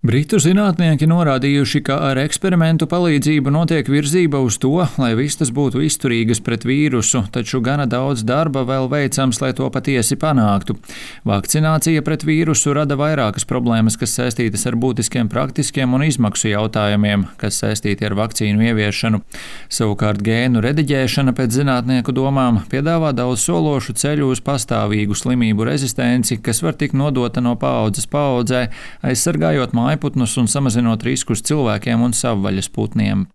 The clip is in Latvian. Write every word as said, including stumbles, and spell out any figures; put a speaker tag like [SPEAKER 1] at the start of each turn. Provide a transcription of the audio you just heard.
[SPEAKER 1] Britu zinātnieki norādījuši, ka ar eksperimentu palīdzību notiek virzība uz to, lai vistas būtu izturīgas pret vīrusu, taču gana daudz darba vēl veicams, lai to patiesi panāktu. Vakcinācija pret vīrusu rada vairākas problēmas, kas saistītas ar būtiskiem praktiskiem un izmaksu jautājumiem, kas saistīti ar vakcīnu ieviešanu. Savukārt gēnu rediģēšana pēc zinātnieku domām piedāvā daudz sološu ceļu uz pastāvīgu slimību rezistenci, kas var tikt nodota no paaudzes paaudzē, aizsargājot mājputnus un samazinot riskus cilvēkiem un savvaļas putniem.